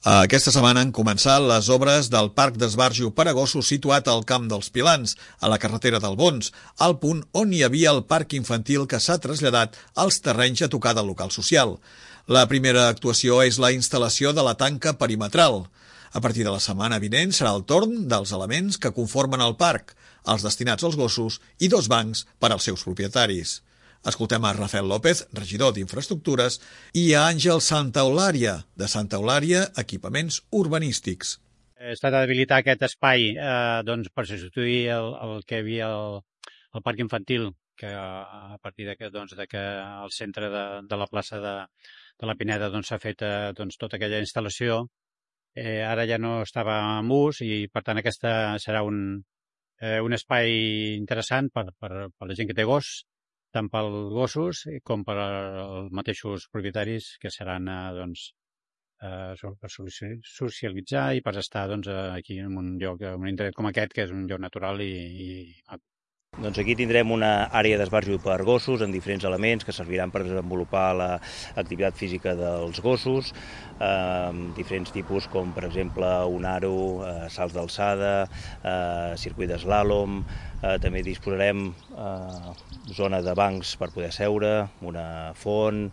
Aquesta setmana han començat les obres del Parc d'Esbarjo per a gossos situat al Camp dels Pilans, a la carretera del Bons, al punt on hi havia el parc infantil que s'ha traslladat als terrenys a tocar del local social. La primera actuació és la instal·lació de la tanca perimetral. A partir de la setmana vinent serà el torn dels elements que conformen el parc, els destinats als gossos i 2 bancs per als seus propietaris. Escoltem a Rafael López, regidor d'Infraestructures, i a Àngel Santaolària, de Santaolària Equipaments Urbanístics. Ha estat d'habilitar aquest espai per substituir el que hi havia al parc infantil, que a partir que al centre de la plaça de la Pineda s'ha fet tota aquella instal·lació. Ara ja no estava en ús i, per tant, aquesta serà un espai interessant per la gent que té gos, tant pels gossos com per als mateixos propietaris, que seran per socialitzar i per estar aquí en un lloc, en un indret com aquest, que és un lloc natural i Doncs aquí tindrem una àrea d'esbarjo per gossos amb diferents elements que serviran per desenvolupar l'activitat física dels gossos, diferents tipus com per exemple un aro, salts d'alçada, circuit d'eslàlom, també disposarem zona de bancs per poder seure, una font,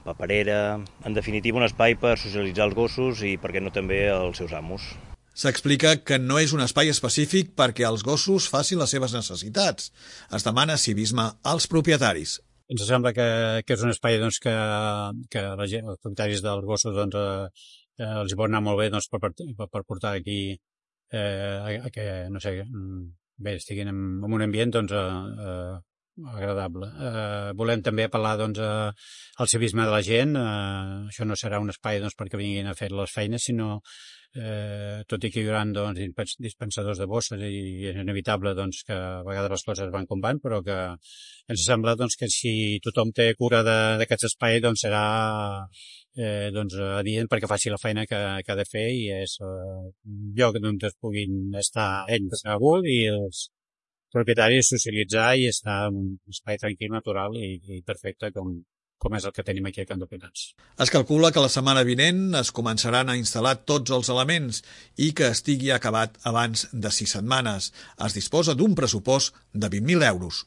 paperera, en definitiva un espai per socialitzar els gossos i, per què no, també els seus amos. S'explica que no és un espai específic perquè els gossos facin les seves necessitats. Es demana civisme als propietaris. Ens sembla que és un espai que la gent, els propietaris dels gossos els hi pot anar molt bé per portar aquí que, no sé, bé, estiguin en un ambient agradable. Volem també apel·lar al civisme de la gent. Això no serà un espai perquè vinguin a fer les feines, sinó tot i que hi haurà dispensadors de bosses i és inevitable que a vegades les coses van com van, però que ens sembla que si tothom té cura d'aquest espai serà adient perquè faci la feina que ha de fer, i és un lloc on es puguin estar ells a gust i els propietaris socialitzar i estar en un espai tranquil, natural i perfecte com és el que tenim aquí a Camp dels Pilans. Es calcula que la setmana vinent es començaran a instal·lar tots els elements i que estigui acabat abans de 6 setmanes. Es disposa d'un pressupost de 20.000 euros.